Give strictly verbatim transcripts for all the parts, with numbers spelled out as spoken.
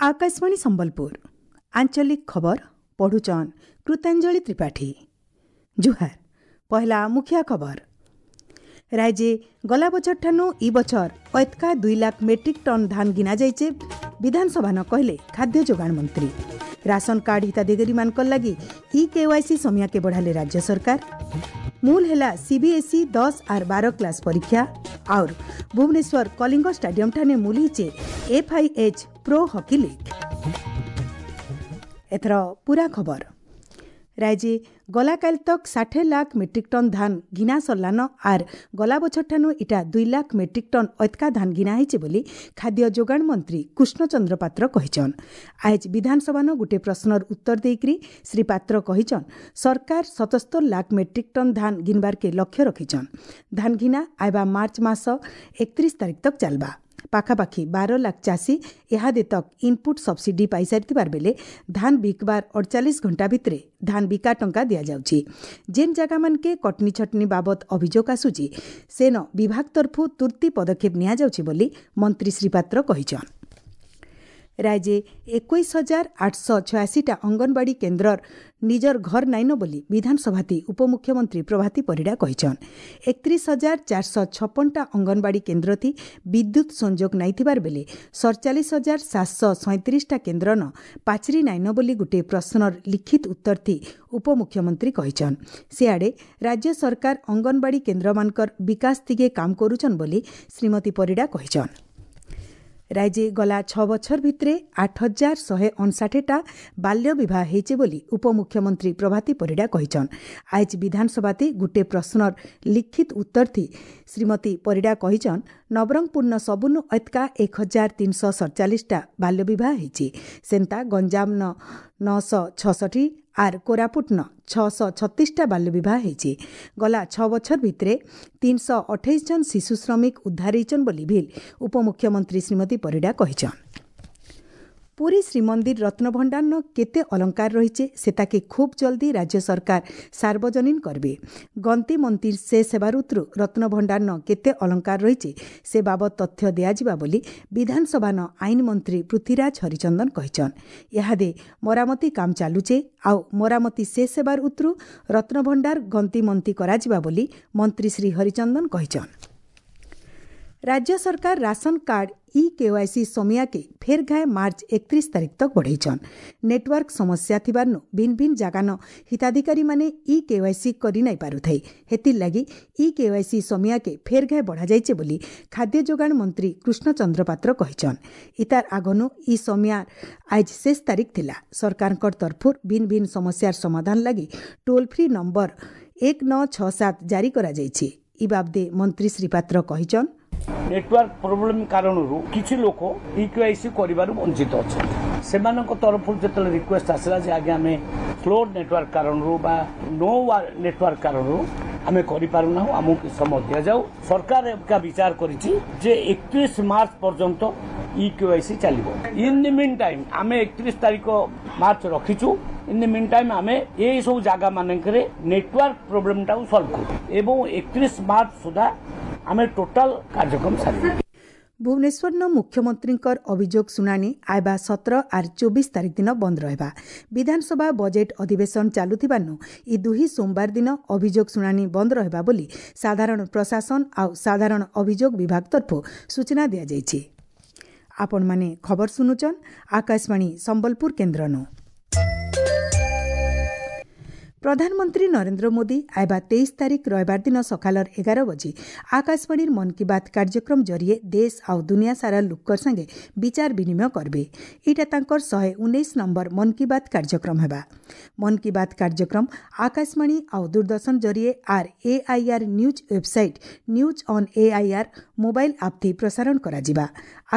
ଆକାଶବାଣୀ ସମ୍ବଲପୁର ଆଞ୍ଚଳିକ ଖବର ପଢୁଛନ୍ କୃତାଞ୍ଜଳି ତ୍ରିପାଠୀ। ଜୁହାର। ପହଲା ମୁଖିଆ ଖବର। ରାଜ୍ୟେ ଗଲା ବଛର ଠାନୁ ଇ ବଛର ଏତକା ଦୁଇ ଲାଖ ମେଟ୍ରିକ୍ ଟନ୍ ଧାନ ଘିନା ଯାଇଛେ, ବିଧାନସଭାନ କହିଲେ ଖାଦ୍ୟ ଯୋଗାଣ ମନ୍ତ୍ରୀ। ରାସନ କାର୍ଡ ହିତାଧିକାରୀମାନଙ୍କର ଲାଗି ଇ କେୱାଇସି ସମିୟାକେ ବଢ଼ାଲେ ରାଜ୍ୟ ସରକାର। ମୂଲ ହେଲା ସିବିଏସ୍ଇ ଦଶ ଆର୍ ବାର କ୍ଲାସ୍ ପରୀକ୍ଷା। ଆଉର୍ ଭୁବନେଶ୍ୱର କଳିଙ୍ଗ ଷ୍ଟାଡିୟମ ଠାନେ ମୂଲ ହେଇଛେ ଏଫ୍ଆଇଏଚ୍ ପ୍ରୋ ହକି ଲିଗ୍। ଏଥର ପୁରା ଖବର। ରାଜ୍ୟେ ଗଲାକାଲି ତକ୍ ଷାଠିଏ ଲାଖ ମେଟ୍ରିକ୍ ଟନ୍ ଧାନ ଘିନା ସରିଲାନ, ଆର୍ ଗଲା ବଛର ଠାନୁ ଇଟା ଦୁଇ ଲାଖ ମେଟ୍ରିକ୍ ଟନ୍ ଅତକା ଧାନ ଘିନା ହେଇଛେ ବୋଲି ଖାଦ୍ୟ ଯୋଗାଣ ମନ୍ତ୍ରୀ କୃଷ୍ଣଚନ୍ଦ୍ର ପାତ୍ର କହିଛନ୍। ଆଏଜ୍ ବିଧାନସଭାନ ଗୁଟେ ପ୍ରଶ୍ନର ଉତ୍ତର ଦେଇକରି ଶ୍ରୀ ପାତ୍ର କହିଛନ୍, ସରକାର ସତସ୍ତର ଲାଖ ମେଟ୍ରିକ୍ ଟନ୍ ଧାନ ଘିନବାରକେ ଲକ୍ଷ୍ୟ ରଖିଛନ୍। ଧାନ ଘିନା ଆଇବା ମାର୍ଚ୍ଚ ମାସ ଏକତିରିଶ ତାରିଖ ତକ୍ ଚାଲବା। ପାଖାପାଖି ବାର ଲାଖ ଚାଷୀ ଇହାଦେ ତକ୍ ଇନପୁଟ୍ ସବସିଡି ପାଇସାରିଥିବାର ବେଲେ ଧାନ ବିକବାର ଅଡ଼ଚାଳିଶ ଘଣ୍ଟା ଭିତରେ ଧାନ ବିକା ଟଙ୍କା ଦିଆଯାଉଛି। ଯେନ୍ ଜାଗାମାନକେ କଟନି ଛଟନି ବାବଦ ଅଭିଯୋଗ ଆସୁଛି, ସେନ ବିଭାଗ ତରଫୁ ତୁର୍ତ୍ତି ପଦକ୍ଷେପ ନିଆଯାଉଛି ବୋଲି ମନ୍ତ୍ରୀ ଶ୍ରୀ ପାତ୍ର କହିଛନ୍। ରାଜ୍ୟେ ଏକୋଇଶ ହଜାର ଆଠଶହ ଛୟାଅଶୀଟା ଅଙ୍ଗନବାଡ଼ି କେନ୍ଦ୍ରର ନିଜର ଘର ନାଇନ ବୋଲି ବିଧାନସଭାତି ଉପମୁଖ୍ୟମନ୍ତ୍ରୀ ପ୍ରଭାତୀ ପରିଡ଼ା କହିଛନ୍। ଏକତିରିଶ ହଜାର ଚାରିଶହ ଛପନଟା ଅଙ୍ଗନବାଡ଼ି କେନ୍ଦ୍ରଥି ବିଦ୍ୟୁତ ସଂଯୋଗ ନାଇଥିବାର ବେଲେ ସଡ଼ଚାଳିଶ ହଜାର ସାତଶହ ସଇଁତିରିଶଟା କେନ୍ଦ୍ରନ ପାଚେରୀ ନାଇନ ବୋଲି ଗୋଟିଏ ପ୍ରଶ୍ନର ଲିଖିତ ଉତ୍ତରଥି ଉପମୁଖ୍ୟମନ୍ତ୍ରୀ କହିଛନ୍। ସିଆଡ଼େ ରାଜ୍ୟ ସରକାର ଅଙ୍ଗନବାଡ଼ି କେନ୍ଦ୍ରମାନଙ୍କର ବିକାଶ ଦିଗେ କାମ କରୁଛନ୍ ବୋଲି ଶ୍ରୀମତୀ ପରିଡ଼ା କହିଛନ୍। ରାଜ୍ୟେ ଗଲା ଛଅ ବଛର ଭିତରେ ଆଠ ହଜାର ଶହେ ଅଣଷାଠିଟା ବାଲ୍ୟ ବିବାହ ହେଇଛେ ବୋଲି ଉପମୁଖ୍ୟମନ୍ତ୍ରୀ ପ୍ରଭାତୀ ପରିଡ଼ା କହିଛନ୍। ଆଏଜ୍ ବିଧାନସଭାତି ଗୁଟେ ପ୍ରଶ୍ନର ଲିଖିତ ଉତ୍ତରଥି ଶ୍ରୀମତୀ ପରିଡ଼ା କହିଛନ୍, ନବରଙ୍ଗପୁରନ ସବୁନୁ ଏତକା ଏକ ହଜାର ତିନିଶହ ସଡ଼ଚାଳିଶଟା ବାଲ୍ୟ ବିବାହ ହେଇଛି। ସେନ୍ତା ଗଞ୍ଜାମନ ନଅଶହ ଛଅଷଠି ଆର୍ କୋରାପୁଟନ ଛଅଶହ ଛତିଶଟା ବାଲ୍ୟ ବିବାହ ହେଇଛି। ଗଲା ଛଅ ବଛର ଭିତରେ ତିନିଶହ ଅଠେଇଶ ଜଣ ଶିଶୁ ଶ୍ରମିକ ଉଦ୍ଧାର ହେଇଛନ୍ ବୋଲି ଭିଲ୍ ଉପମୁଖ୍ୟମନ୍ତ୍ରୀ ଶ୍ରୀମତୀ ପରିଡ଼ା କହିଛନ୍। ପୁରୀ ଶ୍ରୀମନ୍ଦିର ରତ୍ନଭଣ୍ଡାରନ କେତେ ଅଳଙ୍କାର ରହିଛେ, ସେତାକେ ଖୁବ୍ ଜଲ୍ଦି ରାଜ୍ୟ ସରକାର ସାର୍ବଜନୀନ କରିବେ। ଗନ୍ତି ମନ୍ଦିର ସେ ସେବାରୁତ୍ରୁ ରତ୍ନଭଣ୍ଡାରନ କେତେ ଅଳଙ୍କାର ରହିଛେ, ସେ ବାବଦ ତଥ୍ୟ ଦିଆଯିବା ବୋଲି ବିଧାନସଭାନ ଆଇନ ମନ୍ତ୍ରୀ ପୃଥ୍ୱୀରାଜ ହରିଚନ୍ଦନ କହିଛନ୍। ଇହାଦେ ମରାମତି କାମ ଚାଲୁଛେ, ଆଉ ମରାମତି ଶେଷ ହେବାର ଉତ୍ରୁ ରତ୍ନଭଣ୍ଡାର ଗନ୍ତି ମନ୍ତି କରାଯିବା ବୋଲି ମନ୍ତ୍ରୀ ଶ୍ରୀ ହରିଚନ୍ଦନ କହିଛନ୍। ରାଜ୍ୟ ସରକାର ରାସନ କାର୍ଡ ଇ କେୱାଇସି ସମିୟାକେ ଫେର୍ ଘାଏ ମାର୍ଚ୍ଚ ଏକତିରିଶ ତାରିଖ ତକ୍ ବଢ଼େଇଛନ୍। ନେଟୱାର୍କ ସମସ୍ୟା ଥିବାର୍ନୁ ଭିନ୍ ଭିନ୍ ଜାଗାନ ହିତାଧିକାରୀମାନେ ଇ କେୱାଇସି କରି ନାଇଁ ପାରୁଥାଇ। ହେଥିର୍ ଲାଗି ଇ କେୱାଇସି ସମିୟାକେ ଫେର୍ ଘାଏ ବଢ଼ାଯାଇଛେ ବୋଲି ଖାଦ୍ୟ ଯୋଗାଣ ମନ୍ତ୍ରୀ କୃଷ୍ଣଚନ୍ଦ୍ର ପାତ୍ର କହିଛନ୍। ଇତାର ଆଗନୁ ଇ ସମିୟା ଆଏଜ୍ ଶେଷ ତାରିଖ ଥିଲା। ସରକାରଙ୍କର ତରଫରୁ ଭିନ୍ ଭିନ୍ ସମସ୍ୟାର ସମାଧାନ ଲାଗି ଟୋଲ୍ ଫ୍ରି ନମ୍ବର ଏକ ନଅ ଛଅ ସାତ ଜାରି କରାଯାଇଛି। ଇ ବାବଦେ ମନ୍ତ୍ରୀ ଶ୍ରୀ ପାତ୍ର କହିଛନ୍, ନେଟୱାର୍କ ପ୍ରୋବ୍ଲେମ କାରଣରୁ କିଛି ଲୋକ ଇକେୱାଇସି କରିବାରୁ ବଞ୍ଚିତ ଅଛନ୍ତି। ସେମାନଙ୍କ ତରଫରୁ ଯେତେବେଳେ ରିକ୍ୱେଷ୍ଟ ଆସିଲା ଯେ ଆଜ୍ଞା, ଆମେ ସ୍ଲୋ ନେଟୱାର୍କ କାରଣରୁ ବା ନୋ ନେଟୱାର୍କ କାରଣରୁ ଆମେ କରିପାରୁନାହୁଁ, ଆମକୁ କିଛି ସମୟ ଦିଆଯାଉ, ସରକାର ଏକା ବିଚାର କରିଛି ଯେ ଏକତିରିଶ ମାର୍ଚ୍ଚ ପର୍ଯ୍ୟନ୍ତ ଇକେୱାଇସି ଚାଲିବ। ଇନ୍ the mean time ଆମେ ଏକତିରିଶ ତାରିଖ ମାର୍ଚ୍ଚ ରଖିଛୁ। ଇନ୍ the mean time ଆମେ ଏଇ ସବୁ ଜାଗା ମାନଙ୍କରେ ନେଟୱାର୍କ ପ୍ରୋବ୍ଲେମଟାକୁ ସଲ୍ଭ କରୁ ଏବଂ ଏକତିରିଶ ମାର୍ଚ୍ଚ ସୁଦ୍ଧା ଆମେ ଟୋଟାଲ କାର୍ଯ୍ୟକ୍ରମ ସାରିବୁ। ଭୁବନେଶ୍ୱରନ ମୁଖ୍ୟମନ୍ତ୍ରୀଙ୍କର ଅଭିଯୋଗ ଶୁଣାଣି ଆଇବା ସତର ଆର୍ ଚବିଶ ତାରିଖ ଦିନ ବନ୍ଦ ରହିବା। ବିଧାନସଭା ବଜେଟ୍ ଅଧିବେଶନ ଚାଲୁଥିବାରୁ ଇ ଦୁହି ସୋମବାର ଦିନ ଅଭିଯୋଗ ଶୁଣାଣି ବନ୍ଦ ରହିବା ବୋଲି ସାଧାରଣ ପ୍ରଶାସନ ଆଉ ସାଧାରଣ ଅଭିଯୋଗ ବିଭାଗ ତରଫରୁ ସୂଚନା ଦିଆଯାଇଛି। ଆପଣମାନେ ଖବର ଶୁଣୁଛନ୍ ଆକାଶବାଣୀ ସମ୍ବଲପୁର କେନ୍ଦ୍ରନୁ। ପ୍ରଧାନମନ୍ତ୍ରୀ ନରେନ୍ଦ୍ର ମୋଦି ଆଇବା ତେଇଶ ତାରିଖ ରବିବାର ଦିନ ସକାଳର ଏଗାର ବଜେ ଆକାଶବାଣୀର ମନ୍ କି ବାତ୍ କାର୍ଯ୍ୟକ୍ରମ ଜରିଏ ଦେଶ ଆଉ ଦୁନିଆ ସାରା ଲୋକର ସାଙ୍ଗେ ବିଚାର ବିନିମୟ କରିବେ। ଏଇଟା ତାଙ୍କର ଶହେ ଉଣେଇଶ ନମ୍ବର ମନ୍ କି ବାତ୍ କାର୍ଯ୍ୟକ୍ରମ ହେବା। ମନ୍ କି ବାତ୍ କାର୍ଯ୍ୟକ୍ରମ ଆକାଶବାଣୀ ଆଉ ଦୂରଦର୍ଶନ ଜରିଏ ଆର୍ AIR news website, news on AIR mobile app ଥି ପ୍ରସାରଣ କରାଯିବା।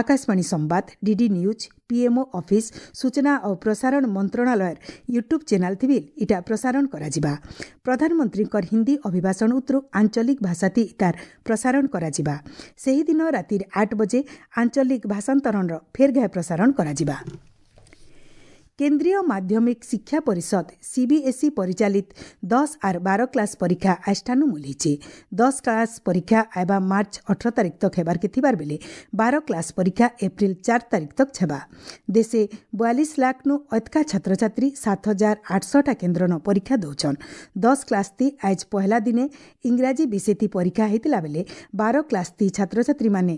ଆକାଶବାଣୀ ସମ୍ବାଦ, ଡିଡି ନ୍ୟୁଜ୍, ପିଏମ୍ଓ ଅଫିସ୍, ସୂଚନା ଓ ପ୍ରସାରଣ ମନ୍ତ୍ରଣାଳୟର ୟୁଟ୍ୟୁବ୍ ଚ୍ୟାନେଲ୍ ଥିବି ଇଟା ପ୍ରସାରଣ କରାଯିବା। ପ୍ରଧାନମନ୍ତ୍ରୀଙ୍କର ହିନ୍ଦୀ ଅଭିଭାଷଣ ଉତ୍ତରୁ ଆଞ୍ଚଳିକ ଭାଷାତି ତାର ପ୍ରସାରଣ କରାଯିବା। ସେହିଦିନ ରାତିରେ ଆଠ ବଜେ ଆଞ୍ଚଳିକ ଭାଷାନ୍ତରଣର ଫେର୍ ଘାଏ ପ୍ରସାରଣ କରାଯିବା। କେନ୍ଦ୍ରୀୟ ମାଧ୍ୟମିକ ଶିକ୍ଷା ପରିଷଦ ସିବିଏସ୍ଇ ପରିଚାଳିତ ଦଶ ଆର୍ ବାର କ୍ଲାସ୍ ପରୀକ୍ଷା ଆଜଠାନୁ ମୂଲ ହେଇଛେ। ଦଶ କ୍ଲାସ୍ ପରୀକ୍ଷା ଆଇବା ମାର୍ଚ୍ଚ ଅଠର ତାରିଖ ତକ୍ ହେବାର୍କେ ଥିବାର ବେଲେ ବାର କ୍ଲାସ୍ ପରୀକ୍ଷା ଏପ୍ରିଲ ଚାର ତାରିଖ ତକ୍ ହେବା। ଦେଶେ ବୟାଳିଶ ଲାଖ୍ନୁ ଅଧିକା ଛାତ୍ରଛାତ୍ରୀ ସାତ ହଜାର ଆଠଶହଟା କେନ୍ଦ୍ରନ ପରୀକ୍ଷା ଦଉଛନ୍। ଦଶ କ୍ଲାସ୍ ତି ଆଜ୍ ପହଲା ଦିନେ ଇଂରାଜୀ ବିଷୟତି ପରୀକ୍ଷା ହେଇଥିଲା ବେଲେ ବାର କ୍ଲାସ୍ ତି ଛାତ୍ରଛାତ୍ରୀମାନେ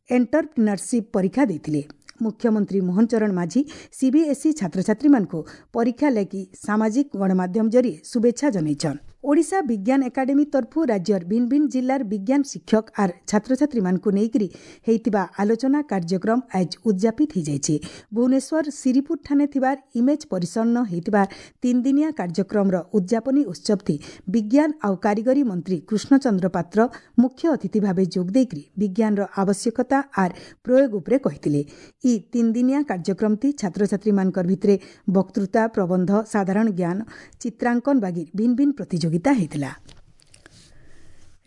ଏଣ୍ଟରପ୍ରିନରସିପ୍ ପରୀକ୍ଷା ଦେଇଥିଲେ। ମୁଖ୍ୟମନ୍ତ୍ରୀ ମୋହନ ଚରଣ ମାଝୀ ସିବିଏସ୍ଇ ଛାତ୍ରଛାତ୍ରୀମାନଙ୍କୁ ପରୀକ୍ଷା ଲାଗି ସାମାଜିକ ଗଣମାଧ୍ୟମ ଜରିଏ ଶୁଭେଚ୍ଛା ଜଣାଇଛନ୍। ଓଡ଼ିଶା ବିଜ୍ଞାନ ଏକାଡେମୀ ତରଫୁ ରାଜ୍ୟର ଭିନ୍ନ ଭିନ୍ନ ଜିଲ୍ଲାର ବିଜ୍ଞାନ ଶିକ୍ଷକ ଆର୍ ଛାତ୍ରଛାତ୍ରୀମାନଙ୍କୁ ନେଇକରି ହେଇଥିବା ଆଲୋଚନା କାର୍ଯ୍ୟକ୍ରମ ଆଜ୍ ଉଦଯାପିତ ହେଇଯାଇଛି। ଭୁବନେଶ୍ୱର ଶିରିପୁର ଠାନେ ଥିବାର ଇମେଜ୍ ପରିସରନ ହେଇଥିବା ତିନିଦିନିଆ କାର୍ଯ୍ୟକ୍ରମର ଉଦଯାପନୀ ଉତ୍ସବଥି ବିଜ୍ଞାନ ଆଉ କାରିଗରୀ ମନ୍ତ୍ରୀ କୃଷ୍ଣଚନ୍ଦ୍ର ପାତ୍ର ମୁଖ୍ୟ ଅତିଥି ଭାବେ ଯୋଗ ଦେଇକରି ବିଜ୍ଞାନର ଆବଶ୍ୟକତା ଆର୍ ପ୍ରୟୋଗ ଉପରେ କହିଥିଲେ। ଇ ତିନିଦିନିଆ କାର୍ଯ୍ୟକ୍ରମଟି ଛାତ୍ରଛାତ୍ରୀମାନଙ୍କର ଭିତରେ ବକ୍ତୃତା, ପ୍ରବନ୍ଧ, ସାଧାରଣ ଜ୍ଞାନ, ଚିତ୍ରାଙ୍କନ ବାଗି ଭିନ୍ନ ଭିନ୍ନ ପ୍ରତିଯୋଗିତା ହେଇଥିଲା।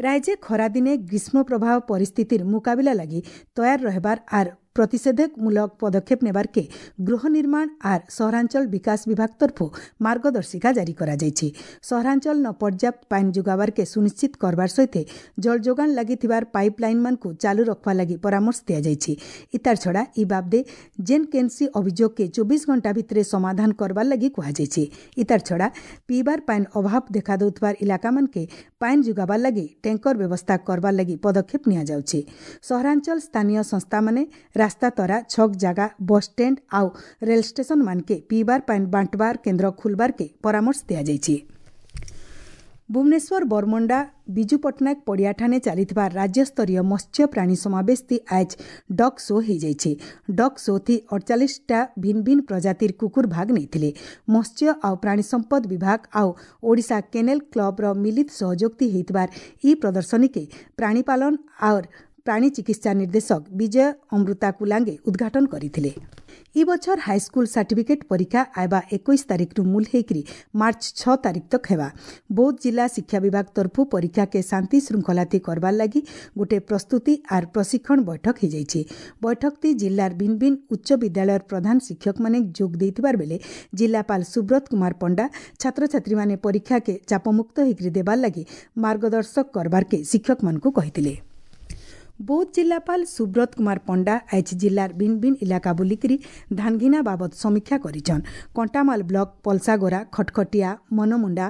ରାଜ୍ୟ ଖରାଦିନେ ଗ୍ରୀଷ୍ମ ପ୍ରବାହ ପରିସ୍ଥିତିର ମୁକାବିଲା ଲାଗି ତୟାର ରହିବାର ଆର୍ ପ୍ରତିଷେଧକମୂଳକ ପଦକ୍ଷେପ ନେବାର୍କେ ଗୃହ ନିର୍ମାଣ ଆର୍ ସହରାଞ୍ଚଳ ବିକାଶ ବିଭାଗ ତରଫୁ ମାର୍ଗଦର୍ଶିକା ଜାରି କରାଯାଇଛି। ସହରାଞ୍ଚଳ ନ ପର୍ଯ୍ୟାପ୍ତ ପାନି ଯୋଗାବାର୍କେ ସୁନିଶ୍ଚିତ କରବାର ସହିତ ଜଳ ଯୋଗାଣ ଲାଗି ଥିବାର ପାଇପ୍ ଲାଇନ୍ମାନଙ୍କୁ ଚାଲୁ ରଖବା ଲାଗି ପରାମର୍ଶ ଦିଆଯାଇଛି। ଇତାର ଛଡ଼ା ଇ ବାବଦେ ଯେନ୍ କେନ୍ସି ଅଭିଯୋଗକେ ଚବିଶ ଘଣ୍ଟା ଭିତରେ ସମାଧାନ କରବାର ଲାଗି କୁହାଯାଇଛି। ଇତାର ଛଡ଼ା ପିଇବାର ପାନି ଅଭାବ ଦେଖା ଦେଉଥିବାର ଇଲାକାମାନକେ ପାନି ଯୋଗାବାର ଲାଗି ଟ୍ୟାଙ୍କର ବ୍ୟବସ୍ଥା କରବାର ଲାଗି ପଦକ୍ଷେପ ନିଆଯାଉଛି। ସହରାଞ୍ଚଳ ସ୍ଥାନୀୟ ସଂସ୍ଥାମାନେ ରାସ୍ତା ତରା, ଛକ୍ ଜାଗା, ବସ୍ ଷ୍ଟାଣ୍ଡ ଆଉ ରେଳ ଷ୍ଟେସନ ମାନକେ ପିଇବାର ପାନି ବାଣ୍ଟବାର କେନ୍ଦ୍ର ଖୋଲବାରକେ ପରାମର୍ଶ ଦିଆଯାଇଛି। ଭୁବନେଶ୍ୱର ବରମୁଣ୍ଡା ବିଜୁ ପଟ୍ଟନାୟକ ପଡ଼ିଆଠାନେ ଚାଲିଥିବା ରାଜ୍ୟସ୍ତରୀୟ ମତ୍ସ୍ୟ ପ୍ରାଣୀ ସମାବେଶଟି ଆଜ୍ ଡଗ୍ ଶୋ ହେଇଯାଇଛି। ଡଗ୍ ଶୋଥି ଅଡ଼ଚାଳିଶଟା ଭିନ୍ନ ଭିନ୍ନ ପ୍ରଜାତିର କୁକୁର ଭାଗ ନେଇଥିଲେ। ମତ୍ସ୍ୟ ଆଉ ପ୍ରାଣୀ ସମ୍ପଦ ବିଭାଗ ଆଉ ଓଡ଼ିଶା କେନେଲ କ୍ଲବର ମିଳିତ ସହଯୋଗତି ହେଇଥିବାର ଇ ପ୍ରଦର୍ଶନୀକେ ପ୍ରାଣୀପାଳନ ଆଉର୍ ପ୍ରାଣୀ ଚିକିତ୍ସା ନିର୍ଦ୍ଦେଶକ ବିଜୟ ଅମୃତା କୁଲାଙ୍ଗେ ଉଦ୍ଘାଟନ କରିଥିଲେ। ଇ ବଛର ହାଇସ୍କୁଲ ସାର୍ଟିଫିକେଟ୍ ପରୀକ୍ଷା ଆଇବା ଏକୋଇଶ ତାରିଖରୁ ମୂଲ ହେଇକରି ମାର୍ଚ୍ଚ ଛଅ ତାରିଖ ତକ୍ ହେବା। ବୌଦ୍ଧ ଜିଲ୍ଲା ଶିକ୍ଷା ବିଭାଗ ତରଫୁ ପରୀକ୍ଷାକେ ଶାନ୍ତି ଶୃଙ୍ଖଳାଥି କରବାର୍ ଲାଗି ଗୋଟେ ପ୍ରସ୍ତୁତି ଆର୍ ପ୍ରଶିକ୍ଷଣ ବୈଠକ ହେଇଯାଇଛି। ବୈଠକଟି ଜିଲ୍ଲାର ଭିନ୍ନ ଭିନ୍ନ ଉଚ୍ଚ ବିଦ୍ୟାଳୟର ପ୍ରଧାନ ଶିକ୍ଷକମାନେ ଯୋଗ ଦେଇଥିବାର ବେଲେ ଜିଲ୍ଲାପାଳ ସୁବ୍ରତ କୁମାର ପଣ୍ଡା ଛାତ୍ରଛାତ୍ରୀମାନେ ପରୀକ୍ଷାକେ ଚାପମୁକ୍ତ ହେଇକରି ଦେବାର୍ ଲାଗି ମାର୍ଗଦର୍ଶକ କରବାର୍କେ ଶିକ୍ଷକମାନଙ୍କୁ କହିଥିଲେ। ବୌଦ୍ଧ ଜିଲ୍ଲାପାଳ ସୁବ୍ରତ କୁମାର ପଣ୍ଡା ଆଜ୍ ଜିଲ୍ଲାର ଭିନ୍ନ ଭିନ୍ନ ଇଲାକା ବୁଲିକରି ଧାନଘିନା ବାବଦ ସମୀକ୍ଷା କରିଛନ୍। କଣ୍ଟାମାଲ ବ୍ଲକ ପଲସାଗୋରା, ଖଟଖଟିଆ, ମନମୁଣ୍ଡା,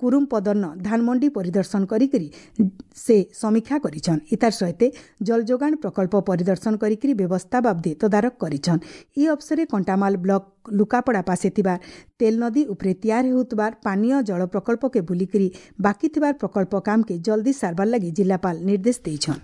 କୁରୁମପଦନ ଧାନମଣ୍ଡି ପରିଦର୍ଶନ କରିକରି ସେ ସମୀକ୍ଷା କରିଛନ୍। ଇତାର ସହିତ ଜଳ ଯୋଗାଣ ପ୍ରକଳ୍ପ ପରିଦର୍ଶନ କରିକରି ବ୍ୟବସ୍ଥା ବାବଦେ ତଦାରଖ କରିଛନ୍। ଇ ଅବସରେ କଣ୍ଟାମାଲ ବ୍ଲକ ଲୁକାପଡ଼ା ପାଶେ ଥିବା ତେଲ ନଦୀ ଉପରେ ତିଆର ହେଉଥିବାର ପାନୀୟ ଜଳ ପ୍ରକଳ୍ପକେ ବୁଲିକରି ବାକି ଥିବାର ପ୍ରକଳ୍ପ କାମକେ ଜଲ୍ଦି ସାରବାର ଲାଗି ଜିଲ୍ଲାପାଳ ନିର୍ଦ୍ଦେଶ ଦେଇଛନ୍।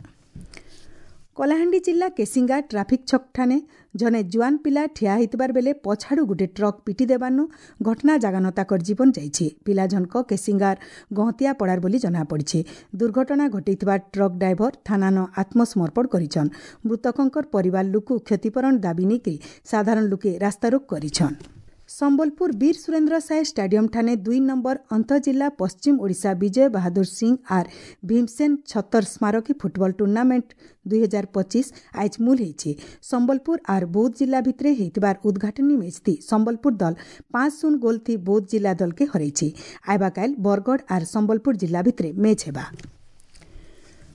କଳାହାଣ୍ଡି ଜିଲ୍ଲା କେସିଙ୍ଗା ଟ୍ରାଫିକ୍ ଛକଠାନେ ଜଣେ ଜୁଆନ ପିଲା ଠିଆ ହେଇଥିବାର ବେଲେ ପଛାଡ଼ୁ ଗୋଟେ ଟ୍ରକ୍ ପିଟି ଦେବାନୁ ଘଟଣା ଜାଗାନ ତାକର ଜୀବନ ଯାଇଛି। ପିଲା ଜଣକ କେସିଙ୍ଗାର ଗହତିଆ ପଡ଼ାର ବୋଲି ଜଣାପଡ଼ିଛି। ଦୁର୍ଘଟଣା ଘଟେଇଥିବା ଟ୍ରକ୍ ଡ୍ରାଇଭର ଥାନାନ ଆତ୍ମସମର୍ପଣ କରିଛନ୍। ମୃତକଙ୍କର ପରିବାର ଲୋକ କ୍ଷତିପୂରଣ ଦାବି ନେଇକରି ସାଧାରଣ ଲୋକେ ରାସ୍ତାରୋକ କରିଛନ୍। ସମ୍ବଲପୁର ବୀର ସୁରେନ୍ଦ୍ର ସାଏ ଷ୍ଟାଡିୟମ ଠାନେ ଦୁଇ ନମ୍ବର ଅନ୍ତଃଜିଲ୍ଲା ପଶ୍ଚିମ ଓଡ଼ିଶା ବିଜୟ ବାହାଦୁର ସିଂ ଆର୍ ଭୀମସେନ ଛତର ସ୍ମାରକୀ ଫୁଟବଲ ଟୁର୍ଣ୍ଣାମେଣ୍ଟ ଦୁଇ ହଜାର ପଚିଶ ଆଜ୍ ମୂଲ ହେଇଛି। ସମ୍ବଲପୁର ଆର୍ ବୌଦ୍ଧ ଜିଲ୍ଲା ଭିତରେ ହେଇଥିବାର ଉଦ୍ଘାଟନୀ ମ୍ୟାଚ୍ଥି ସମ୍ବଲପୁର ଦଲ ପାଞ୍ଚ ଶୂନ ଗୋଲ୍ ଥି ବୌଦ୍ଧ ଜିଲ୍ଲା ଦଲକେ ହରାଇଛି। ଆଇବାକାଇଲ ବରଗଡ଼ ଆର୍ ସମ୍ବଲପୁର ଜିଲ୍ଲା ଭିତରେ ମ୍ୟାଚ୍ ହେବା।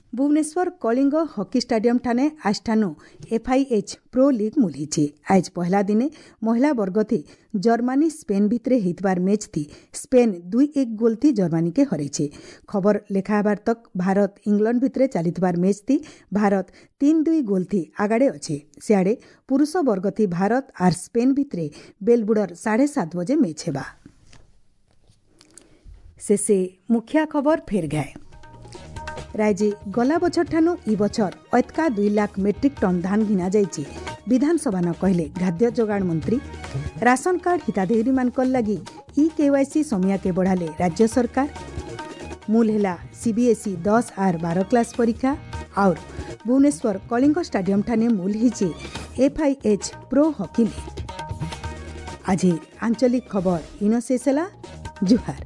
ଭୁବନେଶ୍ୱର କଳିଙ୍ଗ ହକି ଷ୍ଟାଡିୟମ ଠାନେ ଆଜଠାନୁ ଏଫ୍ଆଇଏଚ୍ ପ୍ରୋ ଲିଗ୍ ମୂଲ ହେଇଛି। ଆଜ୍ ପହଲା ଦିନେ ମହିଳା ବର୍ଗଥି ଜର୍ମାନୀ ସ୍ପେନ୍ ଭିତରେ ହେଇଥିବାର ମ୍ୟାଚ୍ଥି ସ୍ପେନ୍ ଦୁଇ ଏକ ଗୋଲ୍ ଥି ଜର୍ମାନୀକେ ହରାଇছে। ଖବର ଲେଖା ହେବାର ତକ୍ ଭାରତ ଇଂଲଣ୍ଡ ଭିତରେ ଚାଲିଥିବାର ମ୍ୟାଚ୍ଥି ଭାରତ ତିନି ଦୁଇ ଗୋଲ୍ ଥି ଆଗାଡ଼େ ଅଛେ। ସିଆଡ଼େ ପୁରୁଷ ବର୍ଗଥି ଭାରତ ଆର୍ ସ୍ପେନ୍ ଭିତରେ ବେଲବୁଡ଼ର ସାଢ଼େ ସାତ ବଜେ ମ୍ୟାଚ୍ ହେବା। ଶେଷେ ମୁଖିଆ ଖବର ଫେର୍ ଗାଏ। ରାଜ୍ୟ ଗଲା ବଛର ଠାନୁ ଇ ବଛର ଅତକା ଦୁଇ ଲାଖ ମେଟ୍ରିକ୍ ଟନ୍ ଧାନ ଘିନା ଯାଇଛି, ବିଧାନସଭା ନ କହିଲେ ଖାଦ୍ୟ ଯୋଗାଣ ମନ୍ତ୍ରୀ। ରାସନ କାର୍ଡ ହିତାଧିକାରୀମାନଙ୍କର ଲାଗି ଇ କେୱାଇସି ସମିଆକେ ବଢ଼ାଲେ ରାଜ୍ୟ ସରକାର। ମୂଲ ହେଲା ସିବିଏସ୍ଇ ଦଶ ଆର୍ ବାର କ୍ଲାସ୍ ପରୀକ୍ଷା। ଆଉର୍ ଭୁବନେଶ୍ୱର କଳିଙ୍ଗ ଷ୍ଟାଡିୟମ ଠାନେ ମୂଲ ହେଇଛି ଏଫ୍ଆଇଏଚ୍ ପ୍ରୋ ହକି ଲିଗ୍। ଆଜି ଆଞ୍ଚଳିକ ଖବର ଇନ ଶେଷ ହେଲା। ଜୁହାର।